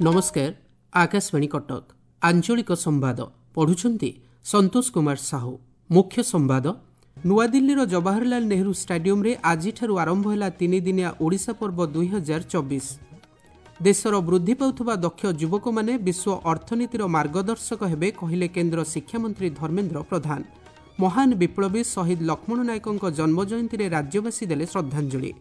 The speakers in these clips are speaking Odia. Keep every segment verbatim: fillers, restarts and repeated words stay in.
ନମସ୍କାର ଆକାଶବାଣୀ କଟକ ଆଞ୍ଚଳିକ ସମ୍ବାଦ ପଢୁଛନ୍ତି ସନ୍ତୋଷ କୁମାର ସାହୁ ମୁଖ୍ୟ ସମ୍ବାଦ ନୂଆଦିଲ୍ଲୀର ଜବାହରଲାଲ ନେହେରୁ ଷ୍ଟାଡିୟମରେ ଆଜିଠାରୁ ଆରମ୍ଭ ହେଲା ତିନିଦିନିଆ ଓଡ଼ିଶା ପର୍ବ ଦୁଇ ହଜାର ଚବିଶ ଦେଶର ବୃଦ୍ଧି ପାଉଥିବା ଦକ୍ଷ ଯୁବକମାନେ ବିଶ୍ୱ ଅର୍ଥନୀତିର ମାର୍ଗଦର୍ଶକ ହେବେ କହିଲେ କେନ୍ଦ୍ର ଶିକ୍ଷାମନ୍ତ୍ରୀ ଧର୍ମେନ୍ଦ୍ର ପ୍ରଧାନ ମହାନ ବିପ୍ଳବୀ ଶହୀଦ ଲକ୍ଷ୍ମଣ ନାୟକଙ୍କ ଜନ୍ମଜୟନ୍ତୀରେ ରାଜ୍ୟବାସୀ ଦେଲେ ଶ୍ରଦ୍ଧାଞ୍ଜଳି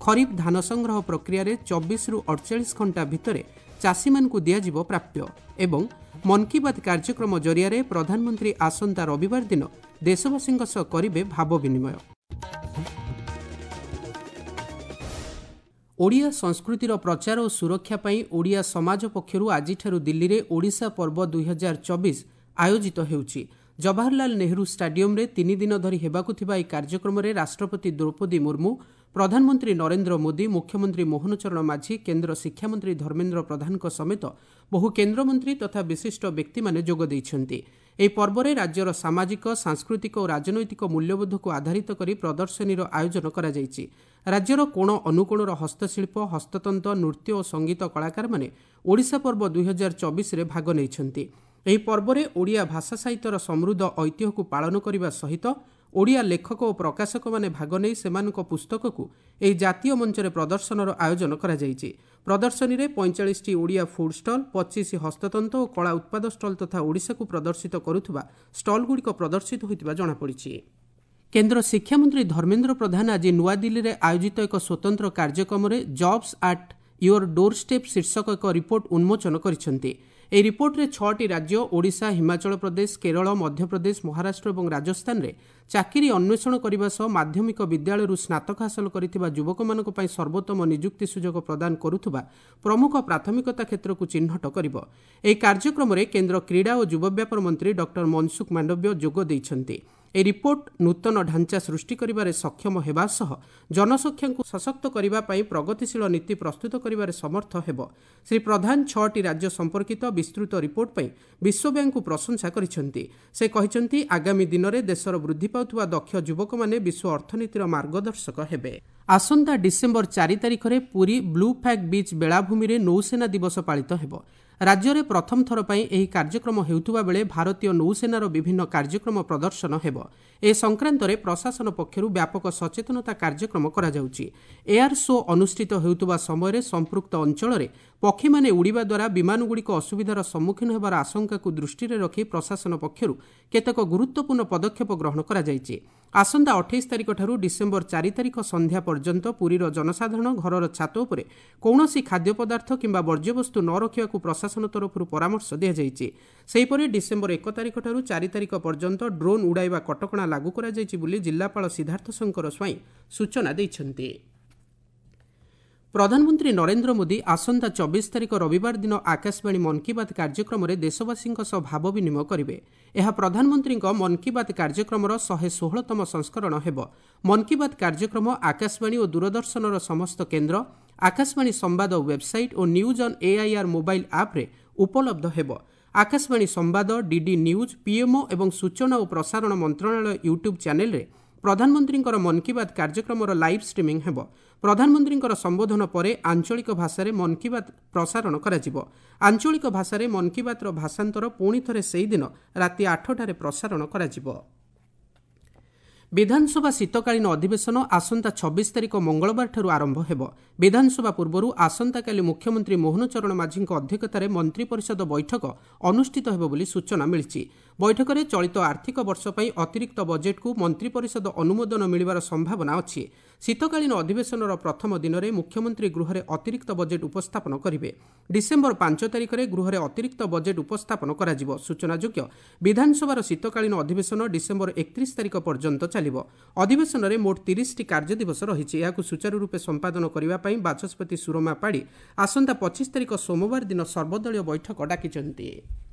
ଖରିଫ ଧାନ ସଂଗ୍ରହ ପ୍ରକ୍ରିୟାରେ ଚବିଶରୁ ଅଡ଼ଚାଳିଶ ଘଣ୍ଟା ଭିତରେ ଚାଷୀମାନଙ୍କୁ ଦିଆଯିବ ପ୍ରାପ୍ୟ ଏବଂ ମନ୍ କି ବାତ୍ କାର୍ଯ୍ୟକ୍ରମ ଜରିଆରେ ପ୍ରଧାନମନ୍ତ୍ରୀ ଆସନ୍ତା ରବିବାର ଦିନ ଦେଶବାସୀଙ୍କ ସହ କରିବେ ଭାବ ବିନିମୟ ଓଡ଼ିଆ ସଂସ୍କୃତିର ପ୍ରଚାର ଓ ସୁରକ୍ଷା ପାଇଁ ଓଡ଼ିଆ ସମାଜ ପକ୍ଷରୁ ଆଜିଠାରୁ ଦିଲ୍ଲୀରେ ଓଡ଼ିଶା ପର୍ବ ଦୁଇହଜାର ଚବିଶ ଆୟୋଜିତ ହେଉଛି ଜବାହରଲାଲ ନେହେରୁ ଷ୍ଟାଡିୟମରେ ତିନି ଦିନ ଧରି ହେବାକୁ ଥିବା ଏହି କାର୍ଯ୍ୟକ୍ରମରେ ରାଷ୍ଟ୍ରପତି ଦ୍ରୌପଦୀ ମୁର୍ମୁ ପ୍ରଧାନମନ୍ତ୍ରୀ ନରେନ୍ଦ୍ର ମୋଦି ମୁଖ୍ୟମନ୍ତ୍ରୀ ମୋହନ ଚରଣ ମାଝୀ କେନ୍ଦ୍ର ଶିକ୍ଷାମନ୍ତ୍ରୀ ଧର୍ମେନ୍ଦ୍ର ପ୍ରଧାନଙ୍କ ସମେତ ବହୁ କେନ୍ଦ୍ରମନ୍ତ୍ରୀ ତଥା ବିଶିଷ୍ଟ ବ୍ୟକ୍ତିମାନେ ଯୋଗ ଦେଇଛନ୍ତି ଏହି ପର୍ବରେ ରାଜ୍ୟର ସାମାଜିକ ସାଂସ୍କୃତିକ ଓ ରାଜନୈତିକ ମୂଲ୍ୟବୋଧକୁ ଆଧାରିତ କରି ପ୍ରଦର୍ଶନୀର ଆୟୋଜନ କରାଯାଇଛି ରାଜ୍ୟର କୋଣ ଅନୁକୋଣର ହସ୍ତଶିଳ୍ପ ହସ୍ତତନ୍ତ ନୃତ୍ୟ ଓ ସଙ୍ଗୀତ କଳାକାରମାନେ ଓଡ଼ିଶା ପର୍ବ ଦୁଇହଜାର ଚବିଶରେ ଭାଗ ନେଇଛନ୍ତି ଏହି ପର୍ବରେ ଓଡ଼ିଆ ଭାଷା ସାହିତ୍ୟର ସମୃଦ୍ଧ ଐତିହ୍ୟକୁ ପାଳନ କରିବା ସହିତ ଓଡ଼ିଆ ଲେଖକ ଓ ପ୍ରକାଶକମାନେ ଭାଗ ନେଇ ସେମାନଙ୍କ ପୁସ୍ତକକୁ ଏହି ଜାତୀୟ ମଞ୍ଚରେ ପ୍ରଦର୍ଶନର ଆୟୋଜନ କରାଯାଇଛି ପ୍ରଦର୍ଶନୀରେ ପଇଁଚାଳିଶଟି ଓଡ଼ିଆ ଫୁଡ୍ ଷ୍ଟଲ୍ ପଚିଶ ହସ୍ତତନ୍ତ ଓ କଳା ଉତ୍ପାଦ ଷ୍ଟଲ୍ ତଥା ଓଡ଼ିଶାକୁ ପ୍ରଦର୍ଶିତ କରୁଥିବା ଷ୍ଟଲ୍ଗୁଡ଼ିକ ପ୍ରଦର୍ଶିତ ହୋଇଥିବା ଜଣାପଡ଼ିଛି କେନ୍ଦ୍ର ଶିକ୍ଷାମନ୍ତ୍ରୀ ଧର୍ମେନ୍ଦ୍ର ପ୍ରଧାନ ଆଜି ନୂଆଦିଲ୍ଲୀରେ ଆୟୋଜିତ ଏକ ସ୍ୱତନ୍ତ୍ର କାର୍ଯ୍ୟକ୍ରମରେ Jobs at your door step ଶୀର୍ଷକ ଏକ ରିପୋର୍ଟ ଉନ୍ମୋଚନ କରିଛନ୍ତି ଏହି ରିପୋର୍ଟରେ ଛଅଟି ରାଜ୍ୟ ଓଡ଼ିଶା ହିମାଚଳ ପ୍ରଦେଶ କେରଳ ମଧ୍ୟପ୍ରଦେଶ ମହାରାଷ୍ଟ୍ର ଏବଂ ରାଜସ୍ଥାନରେ ଚାକିରି ଅନ୍ୱେଷଣ କରିବା ସହ ମାଧ୍ୟମିକ ବିଦ୍ୟାଳୟରୁ ସ୍ନାତକ ହାସଲ କରିଥିବା ଯୁବକମାନଙ୍କ ପାଇଁ ସର୍ବୋତ୍ତମ ନିଯୁକ୍ତି ସୁଯୋଗ ପ୍ରଦାନ କରୁଥିବା ପ୍ରମୁଖ ପ୍ରାଥମିକତା କ୍ଷେତ୍ରକୁ ଚିହ୍ନଟ କରିବ ଏହି କାର୍ଯ୍ୟକ୍ରମରେ କେନ୍ଦ୍ର କ୍ରୀଡ଼ା ଓ ଯୁବ ବ୍ୟାପାର ମନ୍ତ୍ରୀ ଡକ୍ଟର ମନସୁଖ ମାଣ୍ଡବ୍ୟ ଯୋଗ ଦେଇଛନ୍ତି ଏହି ରିପୋର୍ଟ ନୂତନ ଢାଞ୍ଚା ସୃଷ୍ଟି କରିବାରେ ସକ୍ଷମ ହେବା ସହ ଜନସଂଖ୍ୟାକୁ ସଶକ୍ତ କରିବା ପାଇଁ ପ୍ରଗତିଶୀଳ ନୀତି ପ୍ରସ୍ତୁତ କରିବାରେ ସମର୍ଥ ହେବ ଶ୍ରୀ ପ୍ରଧାନ ଛଅଟି ରାଜ୍ୟ ସମ୍ପର୍କିତ ବିସ୍ତୃତ ରିପୋର୍ଟ ପାଇଁ ବିଶ୍ୱ ବ୍ୟାଙ୍କକୁ ପ୍ରଶଂସା କରିଛନ୍ତି ସେ କହିଛନ୍ତି ଆଗାମୀ ଦିନରେ ଦେଶର ବୃଦ୍ଧି ପାଉଥିବା ଦକ୍ଷ ଯୁବକମାନେ ବିଶ୍ୱ ଅର୍ଥନୀତିର ମାର୍ଗଦର୍ଶକ ହେବେ ଆସନ୍ତା ଡିସେମ୍ବର ଚାରି ତାରିଖରେ ପୁରୀ ବ୍ଲୁ ଫ୍ଲାଗ୍ ବିଚ୍ ବେଳାଭୂମିରେ ନୌସେନା ଦିବସ ପାଳିତ ହେବ ରାଜ୍ୟରେ ପ୍ରଥମ ଥର ପାଇଁ ଏହି କାର୍ଯ୍ୟକ୍ରମ ହେଉଥିବା ବେଳେ ଭାରତୀୟ ନୌସେନାର ବିଭିନ୍ନ କାର୍ଯ୍ୟକ୍ରମ ପ୍ରଦର୍ଶନ ହେବ ଏ ସଂକ୍ରାନ୍ତରେ ପ୍ରଶାସନ ପକ୍ଷରୁ ବ୍ୟାପକ ସଚେତନତା କାର୍ଯ୍ୟକ୍ରମ କରାଯାଉଛି ଏୟାର ଶୋ ଅନୁଷ୍ଠିତ ହେଉଥିବା ସମୟରେ ସମ୍ପୃକ୍ତ ଅଞ୍ଚଳରେ ପକ୍ଷୀମାନେ ଉଡ଼ିବା ଦ୍ୱାରା ବିମାନଗୁଡ଼ିକ ଅସୁବିଧାର ସମ୍ମୁଖୀନ ହେବାର ଆଶଙ୍କାକୁ ଦୃଷ୍ଟିରେ ରଖି ପ୍ରଶାସନ ପକ୍ଷରୁ କେତେକ ଗୁରୁତ୍ୱପୂର୍ଣ୍ଣ ପଦକ୍ଷେପ ଗ୍ରହଣ କରାଯାଇଛି ଆସନ୍ତା ଅଠେଇଶ ତାରିଖଠାରୁ ଡିସେମ୍ବର ଚାରି ତାରିଖ ସନ୍ଧ୍ୟା ପର୍ଯ୍ୟନ୍ତ ପୁରୀର ଜନସାଧାରଣ ଘରର ଛାତ ଉପରେ କୌଣସି ଖାଦ୍ୟ ପଦାର୍ଥ କିମ୍ବା ବର୍ଜ୍ୟବସ୍ତୁ ନ ରଖିବାକୁ ପ୍ରଶାସନ ତରଫରୁ ପରାମର୍ଶ ଦିଆଯାଇଛି ସେହିପରି ଡିସେମ୍ବର ଏକ ତାରିଖଠାରୁ ଚାରି ତାରିଖ ପର୍ଯ୍ୟନ୍ତ ଡ୍ରୋନ୍ ଉଡ଼ାଇବା କଟକଣା ଲାଗୁ କରାଯାଇଛି ବୋଲି ଜିଲ୍ଲାପାଳ ସିଦ୍ଧାର୍ଥ ଶଙ୍କର ସ୍ୱାଇଁ ସୂଚନା ଦେଇଛନ୍ତି ପ୍ରଧାନମନ୍ତ୍ରୀ ନରେନ୍ଦ୍ର ମୋଦି ଆସନ୍ତା ଚବିଶ ତାରିଖ ରବିବାର ଦିନ ଆକାଶବାଣୀ ମନ୍ କି ବାତ୍ କାର୍ଯ୍ୟକ୍ରମରେ ଦେଶବାସୀଙ୍କ ସହ ଭାବ ବିନିମୟ କରିବେ ଏହା ପ୍ରଧାନମନ୍ତ୍ରୀଙ୍କ ମନ୍ କି ବାତ୍ କାର୍ଯ୍ୟକ୍ରମର ଶହେ ଷୋହଳତମ ସଂସ୍କରଣ ହେବ ମନ୍ କି ବାତ୍ କାର୍ଯ୍ୟକ୍ରମ ଆକାଶବାଣୀ ଓ ଦୂରଦର୍ଶନର ସମସ୍ତ କେନ୍ଦ୍ର ଆକାଶବାଣୀ ସମ୍ବାଦ website O news on AIR mobile ଆପ୍ରେ ଉପଲବ୍ଧ ହେବ ଆକାଶବାଣୀ ସମ୍ବାଦ ଡିଡି ନ୍ୟୁଜ୍ ପିଏମ୍ଓ ଏବଂ ସୂଚନା ଓ ପ୍ରସାରଣ ମନ୍ତ୍ରଣାଳୟ ୟୁଟ୍ୟୁବ୍ ଚ୍ୟାନେଲରେ ପ୍ରଧାନମନ୍ତ୍ରୀଙ୍କର ମନ୍ କି ବାତ୍ କାର୍ଯ୍ୟକ୍ରମର ଲାଇଭ୍ ଷ୍ଟ୍ରିମିଂ ହେବ ପ୍ରଧାନମନ୍ତ୍ରୀଙ୍କର ସମ୍ବୋଧନ ପରେ ଆଞ୍ଚଳିକ ଭାଷାରେ ମନ୍ କି ବାତ୍ ପ୍ରସାରଣ କରାଯିବ ଆଞ୍ଚଳିକ ଭାଷାରେ ମନ୍ କି ବାତ୍ର ଭାଷାନ୍ତର ପୁଣି ଥରେ ସେହିଦିନ ରାତି ଆଠଟାରେ ପ୍ରସାରଣ କରାଯିବ ବିଧାନସଭା ଶୀତକାଳୀନ ଅଧିବେଶନ ଆସନ୍ତା ଛବିଶ ତାରିଖ ମଙ୍ଗଳବାରଠାରୁ ଆରମ୍ଭ ହେବ ବିଧାନସଭା ପୂର୍ବରୁ ଆସନ୍ତାକାଲି ମୁଖ୍ୟମନ୍ତ୍ରୀ ମୋହନ ଚରଣ ମାଝୀଙ୍କ ଅଧ୍ୟକ୍ଷତାରେ ମନ୍ତ୍ରିପରିଷଦ ବୈଠକ ଅନୁଷ୍ଠିତ ହେବ ବୋଲି ସୂଚନା ମିଳିଛି ବୈଠକରେ ଚଳିତ ଆର୍ଥିକ ବର୍ଷ ପାଇଁ ଅତିରିକ୍ତ ବଜେଟ୍କୁ ମନ୍ତ୍ରିପରିଷଦ ଅନୁମୋଦନ ମିଳିବାର ସମ୍ଭାବନା ଅଛି ଶୀତକାଳୀନ ଅଧିବେଶନର ପ୍ରଥମ ଦିନରେ ମୁଖ୍ୟମନ୍ତ୍ରୀ ଗୃହରେ ଅତିରିକ୍ତ ବଜେଟ୍ ଉପସ୍ଥାପନ କରିବେ ଡିସେମ୍ବର ପାଞ୍ଚ ତାରିଖରେ ଗୃହରେ ଅତିରିକ୍ତ ବଜେଟ୍ ଉପସ୍ଥାପନ କରାଯିବ ସୂଚନାଯୋଗ୍ୟ ବିଧାନସଭାର ଶୀତକାଳୀନ ଅଧିବେଶନ ଡିସେମ୍ବର ଏକତିରିଶ ତାରିଖ ପର୍ଯ୍ୟନ୍ତ ଚାଲିବ ଅଧିବେଶନରେ ମୋଟ ତିରିଶଟି କାର୍ଯ୍ୟଦିବସ ରହିଛି ଏହାକୁ ସୁଚାରୁ ରୂପେ ସମ୍ପାଦନ କରିବା ପାଇଁ ବାଚସ୍ପତି ସୁରମା ପାଢ଼ୀ ଆସନ୍ତା ପଚିଶ ତାରିଖ ସୋମବାର ଦିନ ସର୍ବଦଳୀୟ ବୈଠକ ଡାକିଛନ୍ତି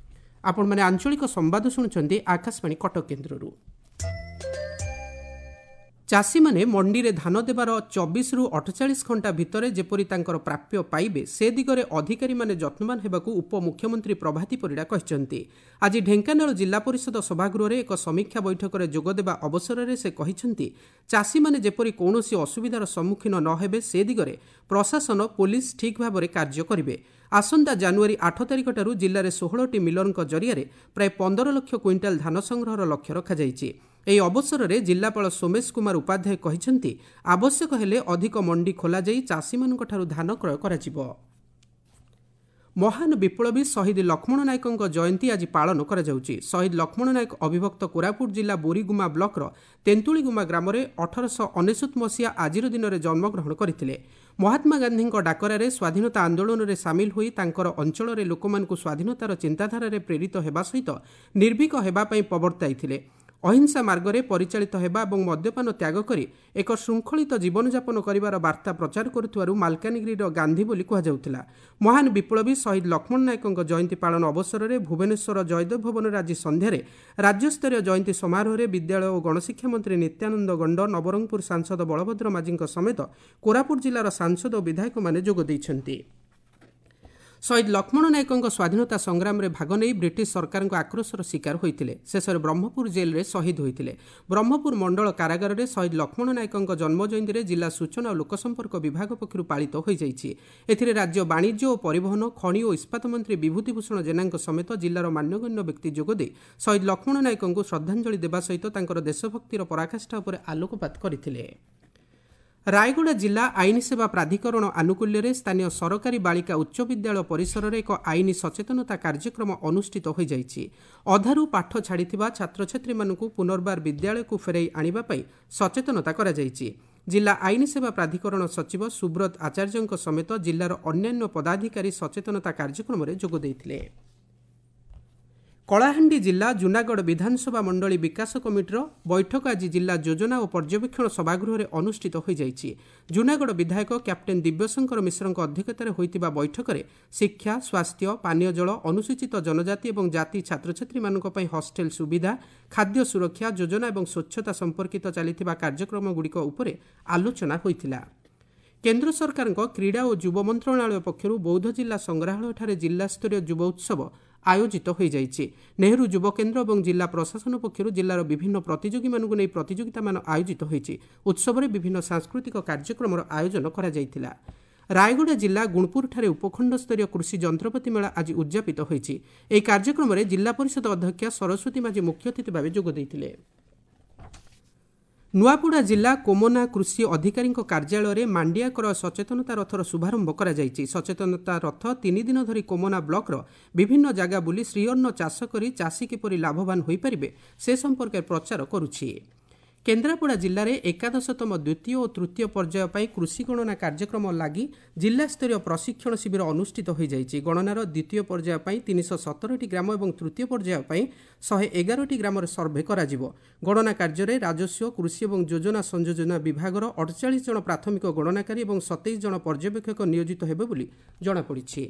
ଆପଣମାନେ ଆଞ୍ଚଳିକ ସମ୍ବାଦ ଶୁଣୁଛନ୍ତି ଆକାଶବାଣୀ କଟକ କେନ୍ଦ୍ରରୁ ଚାଷୀମାନେ ମଣ୍ଡିରେ ଧାନ ଦେବାର ଚବିଶରୁ ଅଠଚାଳିଶ ଘଣ୍ଟା ଭିତରେ ଯେପରି ତାଙ୍କର ପ୍ରାପ୍ୟ ପାଇବେ ସେ ଦିଗରେ ଅଧିକାରୀମାନେ ଯତ୍ନବାନ ହେବାକୁ ଉପମୁଖ୍ୟମନ୍ତ୍ରୀ ପ୍ରଭାତୀ ପରିଡ଼ା କହିଛନ୍ତି। ଆଜି ଢେଙ୍କାନାଳ ଜିଲ୍ଲା ପରିଷଦ ସଭାଗୃହରେ ଏକ ସମୀକ୍ଷା ବୈଠକରେ ଯୋଗଦେବା ଅବସରରେ ସେ କହିଛନ୍ତି, ଚାଷୀମାନେ ଯେପରି କୌଣସି ଅସୁବିଧାର ସମ୍ମୁଖୀନ ନ ହେବେ ସେ ଦିଗରେ ପ୍ରଶାସନ, ପୋଲିସ ଠିକ୍ ଭାବରେ କାର୍ଯ୍ୟ କରିବେ। ଆସନ୍ତା ଜାନୁଆରୀ ଆଠ ତାରିଖଠାରୁ ଜିଲ୍ଲାରେ ଷୋହଳଟି ମିଲରଙ୍କ ଜରିଆରେ ପ୍ରାୟ ପନ୍ଦର ଲକ୍ଷ କୁଇଣ୍ଟାଲ ଧାନ ସଂଗ୍ରହର ଲକ୍ଷ୍ୟ ରଖାଯାଇଛି। ଏହି ଅବସରରେ ଜିଲ୍ଲାପାଳ ସୋମେଶ କୁମାର ଉପାଧ୍ୟାୟ କହିଛନ୍ତି, ଆବଶ୍ୟକ ହେଲେ ଅଧିକ ମଣ୍ଡି ଖୋଲାଯାଇ ଚାଷୀମାନଙ୍କଠାରୁ ଧାନ କ୍ରୟ କରାଯିବ। ମହାନ ବିପ୍ଳବୀ ଶହୀଦ ଲକ୍ଷ୍ମଣ ନାୟକଙ୍କ ଜୟନ୍ତୀ ଆଜି ପାଳନ କରାଯାଉଛି। ଶହୀଦ ଲକ୍ଷ୍ମଣ ନାୟକ ଅବିଭକ୍ତ କୋରାପୁଟ ଜିଲ୍ଲା ବୋରିଗୁମା ବ୍ଲକର ତେନ୍ତୁଳିଗୁମା ଗ୍ରାମରେ ଅଠରଶହ ଅନେଶତ ମସିହା ଆଜିର ଦିନରେ ଜନ୍ମଗ୍ରହଣ କରିଥିଲେ। ମହାତ୍ମା ଗାନ୍ଧୀଙ୍କ ଡାକରାରେ ସ୍ୱାଧୀନତା ଆନ୍ଦୋଳନରେ ସାମିଲ ହୋଇ ତାଙ୍କର ଅଞ୍ଚଳରେ ଲୋକମାନଙ୍କୁ ସ୍ୱାଧୀନତାର ଚିନ୍ତାଧାରାରେ ପ୍ରେରିତ ହେବା ସହିତ ନିର୍ଭୀକ ହେବା ପାଇଁ ପ୍ରବର୍ତ୍ତାଇଥିଲେ। ଅହିଂସା ମାର୍ଗରେ ପରିଚାଳିତ ହେବା ଏବଂ ମଦ୍ୟପାନ ତ୍ୟାଗ କରି ଏକ ଶୃଙ୍ଖଳିତ ଜୀବନଯାପନ କରିବାର ବାର୍ତ୍ତା ପ୍ରଚାର କରୁଥିବାରୁ ମାଲକାନଗିରିର ଗାନ୍ଧୀ ବୋଲି କୁହାଯାଉଥିଲା। ମହାନ ବିପ୍ଳବୀ ଶହୀଦ ଲକ୍ଷ୍ମଣ ନାୟକଙ୍କ ଜୟନ୍ତୀ ପାଳନ ଅବସରରେ ଭୁବନେଶ୍ୱର ଜୟଦେବ ଭବନରେ ଆଜି ସନ୍ଧ୍ୟାରେ ରାଜ୍ୟସ୍ତରୀୟ ଜୟନ୍ତୀ ସମାରୋହରେ ବିଦ୍ୟାଳୟ ଓ ଗଣଶିକ୍ଷା ମନ୍ତ୍ରୀ ନିତ୍ୟାନନ୍ଦ ଗଣ୍ଡ, ନବରଙ୍ଗପୁର ସାଂସଦ ବଳଭଦ୍ର ମାଝୀଙ୍କ ସମେତ କୋରାପୁଟ ଜିଲ୍ଲାର ସାଂସଦ ଓ ବିଧାୟକମାନେ ଯୋଗ ଦେଇଛନ୍ତି। ଶହୀଦ ଲକ୍ଷ୍ମଣ ନାୟକଙ୍କ ସ୍ୱାଧୀନତା ସଂଗ୍ରାମରେ ଭାଗ ନେଇ ବ୍ରିଟିଶ ସରକାରଙ୍କ ଆକ୍ରୋଶର ଶିକାର ହୋଇଥିଲେ। ଶେଷରେ ବ୍ରହ୍ମପୁର ଜେଲ୍ରେ ଶହୀଦ ହୋଇଥିଲେ। ବ୍ରହ୍ମପୁର ମଣ୍ଡଳ କାରାଗାରରେ ଶହୀଦ ଲକ୍ଷ୍ମଣ ନାୟକଙ୍କ ଜନ୍ମ ଜୟନ୍ତୀରେ ଜିଲ୍ଲା ସୂଚନା ଓ ଲୋକସମ୍ପର୍କ ବିଭାଗ ପକ୍ଷରୁ ପାଳିତ ହୋଇଯାଇଛି। ଏଥିରେ ରାଜ୍ୟ ବାଣିଜ୍ୟ ଓ ପରିବହନ, ଖଣି ଓ ଇସ୍ପାତ ମନ୍ତ୍ରୀ ବିଭୂତି ଭୂଷଣ ଜେନାଙ୍କ ସମେତ ଜିଲ୍ଲାର ମାନ୍ୟଗଣ୍ୟ ବ୍ୟକ୍ତି ଯୋଗଦେଇ ଶହୀଦ ଲକ୍ଷ୍ମଣ ନାୟକଙ୍କୁ ଶ୍ରଦ୍ଧାଞ୍ଜଳି ଦେବା ସହିତ ତାଙ୍କର ଦେଶଭକ୍ତିର ପରାକାଷ୍ଠା ଉପରେ ଆଲୋକପାତ କରିଥିଲେ। ରାୟଗଡ଼ା ଜିଲ୍ଲା ଆଇନ ସେବା ପ୍ରାଧିକରଣ ଆନୁକୂଲ୍ୟରେ ସ୍ଥାନୀୟ ସରକାରୀ ବାଳିକା ଉଚ୍ଚ ବିଦ୍ୟାଳୟ ପରିସରରେ ଏକ ଆଇନ ସଚେତନତା କାର୍ଯ୍ୟକ୍ରମ ଅନୁଷ୍ଠିତ ହୋଇଯାଇଛି। ଅଧାରୁ ପାଠ ଛାଡ଼ିଥିବା ଛାତ୍ରଛାତ୍ରୀମାନଙ୍କୁ ପୁନର୍ବାର ବିଦ୍ୟାଳୟକୁ ଫେରାଇ ଆଣିବା ପାଇଁ ସଚେତନତା କରାଯାଇଛି। ଜିଲ୍ଲା ଆଇନ ସେବା ପ୍ରାଧିକରଣ ସଚିବ ସୁବ୍ରତ ଆଚାର୍ଯ୍ୟଙ୍କ ସମେତ ଜିଲ୍ଲାର ଅନ୍ୟାନ୍ୟ ପଦାଧିକାରୀ ସଚେତନତା କାର୍ଯ୍ୟକ୍ରମରେ ଯୋଗ ଦେଇଥିଲେ। କଳାହାଣ୍ଡି ଜିଲ୍ଲା ଜୁନାଗଡ଼ ବିଧାନସଭା ମଣ୍ଡଳୀ ବିକାଶ କମିଟିର ବୈଠକ ଆଜି ଜିଲ୍ଲା ଯୋଜନା ଓ ପର୍ଯ୍ୟବେକ୍ଷଣ ସଭାଗୃହରେ ଅନୁଷ୍ଠିତ ହୋଇଯାଇଛି। ଜୁନାଗଡ଼ ବିଧାୟକ କ୍ୟାପ୍ଟେନ୍ ଦିବ୍ୟଶଙ୍କର ମିଶ୍ରଙ୍କ ଅଧ୍ୟକ୍ଷତାରେ ହୋଇଥିବା ବୈଠକରେ ଶିକ୍ଷା, ସ୍ୱାସ୍ଥ୍ୟ, ପାନୀୟ ଜଳ, ଅନୁସୂଚିତ ଜନଜାତି ଏବଂ ଜାତି ଛାତ୍ରଛାତ୍ରୀମାନଙ୍କ ପାଇଁ ହଷ୍ଟେଲ ସୁବିଧା, ଖାଦ୍ୟ ସୁରକ୍ଷା ଯୋଜନା ଏବଂ ସ୍ୱଚ୍ଛତା ସମ୍ପର୍କିତ ଚାଲିଥିବା କାର୍ଯ୍ୟକ୍ରମଗୁଡ଼ିକ ଉପରେ ଆଲୋଚନା ହୋଇଥିଲା। କେନ୍ଦ୍ର ସରକାରଙ୍କ କ୍ରୀଡ଼ା ଓ ଯୁବ ମନ୍ତ୍ରଣାଳୟ ପକ୍ଷରୁ ବୌଦ୍ଧ ଜିଲ୍ଲା ସଂଗ୍ରହାଳୟଠାରେ ଜିଲ୍ଲାସ୍ତରୀୟ ଯୁବ ଉତ୍ସବ ଆୟୋଜିତ ହୋଇଯାଇଛି। ନେହେରୁ ଯୁବ କେନ୍ଦ୍ର ଏବଂ ଜିଲ୍ଲା ପ୍ରଶାସନ ପକ୍ଷରୁ ଜିଲ୍ଲାର ବିଭିନ୍ନ ପ୍ରତିଯୋଗୀମାନଙ୍କୁ ନେଇ ପ୍ରତିଯୋଗିତାମାନ ଆୟୋଜିତ ହୋଇଛି। ଉତ୍ସବରେ ବିଭିନ୍ନ ସାଂସ୍କୃତିକ କାର୍ଯ୍ୟକ୍ରମର ଆୟୋଜନ କରାଯାଇଥିଲା। ରାୟଗଡ଼ା ଜିଲ୍ଲା ଗୁଣପୁରଠାରେ ଉପଖଣ୍ଡସ୍ତରୀୟ କୃଷି ଯନ୍ତ୍ରପାତି ମେଳା ଆଜି ଉଦ୍ଯାପିତ ହୋଇଛି। ଏହି କାର୍ଯ୍ୟକ୍ରମରେ ଜିଲ୍ଲା ପରିଷଦ ଅଧ୍ୟକ୍ଷା ସରସ୍ୱତୀ ମାଝୀ ମୁଖ୍ୟ ଅତିଥି ଭାବେ ଯୋଗ ଦେଇଥିଲେ। ନୂଆପଡ଼ା ଜିଲ୍ଲା କୋମନା କୃଷି ଅଧିକାରୀଙ୍କ କାର୍ଯ୍ୟାଳୟରେ ମାଣ୍ଡିଆ କ୍ରୟ ସଚେତନତା ରଥର ଶୁଭାରମ୍ଭ କରାଯାଇଛି। ସଚେତନତା ରଥ ତିନି ଦିନ ଧରି କୋମନା ବ୍ଲକର ବିଭିନ୍ନ ଜାଗା ବୁଲି ଶ୍ରୀଅନ୍ନ ଚାଷ କରି ଚାଷୀ କିପରି ଲାଭବାନ ହୋଇପାରିବେ ସେ ସମ୍ପର୍କରେ ପ୍ରଚାର କରୁଛି। କେନ୍ଦ୍ରାପଡ଼ା ଜିଲ୍ଲାରେ ଏକାଦଶତମ ଦ୍ୱିତୀୟ ଓ ତୃତୀୟ ପର୍ଯ୍ୟାୟ ପାଇଁ କୃଷି ଗଣନା କାର୍ଯ୍ୟକ୍ରମ ଲାଗି ଜିଲ୍ଲାସ୍ତରୀୟ ପ୍ରଶିକ୍ଷଣ ଶିବିର ଅନୁଷ୍ଠିତ ହୋଇଯାଇଛି। ଗଣନାର ଦ୍ୱିତୀୟ ପର୍ଯ୍ୟାୟ ପାଇଁ ତିନିଶହ ସତରଟି ଗ୍ରାମ ଏବଂ ତୃତୀୟ ପର୍ଯ୍ୟାୟ ପାଇଁ ଶହେ ଏଗାରଟି ଗ୍ରାମରେ ସର୍ଭେ କରାଯିବ। ଗଣନା କାର୍ଯ୍ୟରେ ରାଜସ୍ୱ, କୃଷି ଏବଂ ଯୋଜନା ସଂଯୋଜନା ବିଭାଗର ଅଠଚାଳିଶ ଜଣ ପ୍ରାଥମିକ ଗଣନାକାରୀ ଏବଂ ସତେଇଶ ଜଣ ପର୍ଯ୍ୟବେକ୍ଷକ ନିୟୋଜିତ ହେବେ ବୋଲି ଜଣାପଡ଼ିଛି।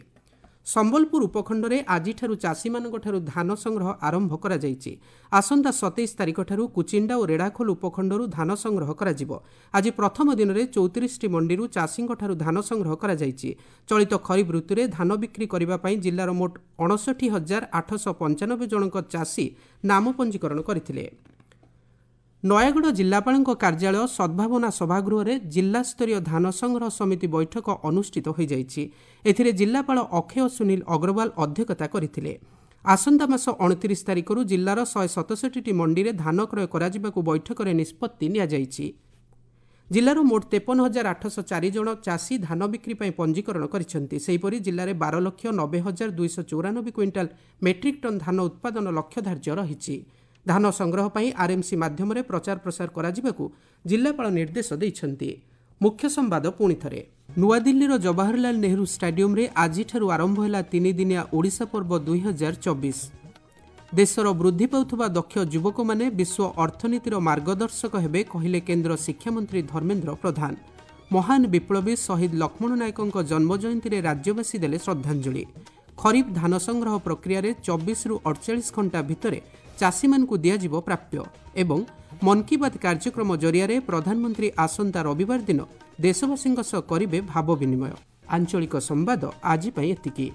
ସମ୍ବଲପୁର ଉପଖଣ୍ଡରେ ଆଜିଠାରୁ ଚାଷୀମାନଙ୍କଠାରୁ ଧାନ ସଂଗ୍ରହ ଆରମ୍ଭ କରାଯାଇଛି। ଆସନ୍ତା ସତେଇଶ ତାରିଖଠାରୁ କୁଚିଣ୍ଡା ଓ ରେଢ଼ାଖୋଲ ଉପଖଣ୍ଡରୁ ଧାନ ସଂଗ୍ରହ କରାଯିବ। ଆଜି ପ୍ରଥମ ଦିନରେ ଚଉତିରିଶଟି ମଣ୍ଡିରୁ ଚାଷୀଙ୍କଠାରୁ ଧାନ ସଂଗ୍ରହ କରାଯାଇଛି। ଚଳିତ ଖରିଫ ଋତୁରେ ଧାନ ବିକ୍ରି କରିବା ପାଇଁ ଜିଲ୍ଲାର ମୋଟ ଅଣଷଠି ହଜାର ଆଠଶହ ପଞ୍ଚାନବେ ଜଣଙ୍କ ଚାଷୀ ନାମ ପଞ୍ଜୀକରଣ କରିଥିଲେ। ନୟାଗଡ଼ ଜିଲ୍ଲାପାଳଙ୍କ କାର୍ଯ୍ୟାଳୟ ସଦ୍ଭାବନା ସଭାଗୃହରେ ଜିଲ୍ଲାସ୍ତରୀୟ ଧାନ ସଂଗ୍ରହ ସମିତି ବୈଠକ ଅନୁଷ୍ଠିତ ହୋଇଯାଇଛି। ଏଥିରେ ଜିଲ୍ଲାପାଳ ଅକ୍ଷୟ ସୁନୀଲ ଅଗ୍ରୱାଲ ଅଧ୍ୟକ୍ଷତା କରିଥିଲେ। ଆସନ୍ତା ମାସ ଅଣତିରିଶ ତାରିଖରୁ ଜିଲ୍ଲାର ଶହେ ସତଷଠିଟି ମଣ୍ଡିରେ ଧାନ କ୍ରୟ କରାଯିବାକୁ ବୈଠକରେ ନିଷ୍ପତ୍ତି ନିଆଯାଇଛି। ଜିଲ୍ଲାର ମୋଟ ତେପନ ହଜାର ଆଠଶହ ଚାରି ଜଣ ଚାଷୀ ଧାନ ବିକ୍ରି ପାଇଁ ପଞ୍ଜୀକରଣ କରିଛନ୍ତି। ସେହିପରି ଜିଲ୍ଲାରେ ବାର ଲକ୍ଷ ନବେ ହଜାର ଦୁଇଶହ ଚଉରାନବେ କ୍ୱିଣ୍ଟାଲ ମେଟ୍ରିକ୍ ଟନ୍ ଧାନ ଉତ୍ପାଦନ ଲକ୍ଷ୍ୟ ଧାର୍ଯ୍ୟ ରହିଛି। ଧାନ ସଂଗ୍ରହ ପାଇଁ ଆର୍ଏମ୍ସି ମାଧ୍ୟମରେ ପ୍ରଚାର ପ୍ରସାର କରାଯିବାକୁ ଜିଲ୍ଲାପାଳ ନିର୍ଦ୍ଦେଶ ଦେଇଛନ୍ତି। ମୁଖ୍ୟ ସମ୍ବାଦ ପୁଣି ଥରେ। ନୂଆଦିଲ୍ଲୀର ଜବାହରଲାଲ ନେହେରୁ ଷ୍ଟାଡିୟମରେ ଆଜିଠାରୁ ଆରମ୍ଭ ହେଲା ତିନିଦିନିଆ ଓଡ଼ିଶା ପର୍ବ ଦୁଇ ହଜାର ଚବିଶ। ଦେଶର ବୃଦ୍ଧି ପାଉଥିବା ଦକ୍ଷ ଯୁବକମାନେ ବିଶ୍ୱ ଅର୍ଥନୀତିର ମାର୍ଗଦର୍ଶକ ହେବେ କହିଲେ କେନ୍ଦ୍ର ଶିକ୍ଷାମନ୍ତ୍ରୀ ଧର୍ମେନ୍ଦ୍ର ପ୍ରଧାନ। ମହାନ ବିପ୍ଳବୀ ଶହୀଦ ଲକ୍ଷ୍ମଣ ନାୟକଙ୍କ ଜନ୍ମଜୟନ୍ତୀରେ ରାଜ୍ୟବାସୀ ଦେଲେ ଶ୍ରଦ୍ଧାଞ୍ଜଳି। ଖରିଫ ଧାନ ସଂଗ୍ରହ ପ୍ରକ୍ରିୟାରେ ଚବିଶରୁ ଅଠଚାଳିଶ ଘଣ୍ଟା ଭିତରେ ଚାଷୀମାନଙ୍କୁ ଦିଆଯିବ ପ୍ରାପ୍ୟ। ଏବଂ ମନ୍ କି ବାତ୍ କାର୍ଯ୍ୟକ୍ରମ ଜରିଆରେ ପ୍ରଧାନମନ୍ତ୍ରୀ ଆସନ୍ତା ରବିବାର ଦିନ ଦେଶବାସୀଙ୍କ ସହ କରିବେ ଭାବ ବିନିମୟ। ଆଞ୍ଚଳିକ ସମ୍ବାଦ ଆଜି ପାଇଁ ଏତିକି।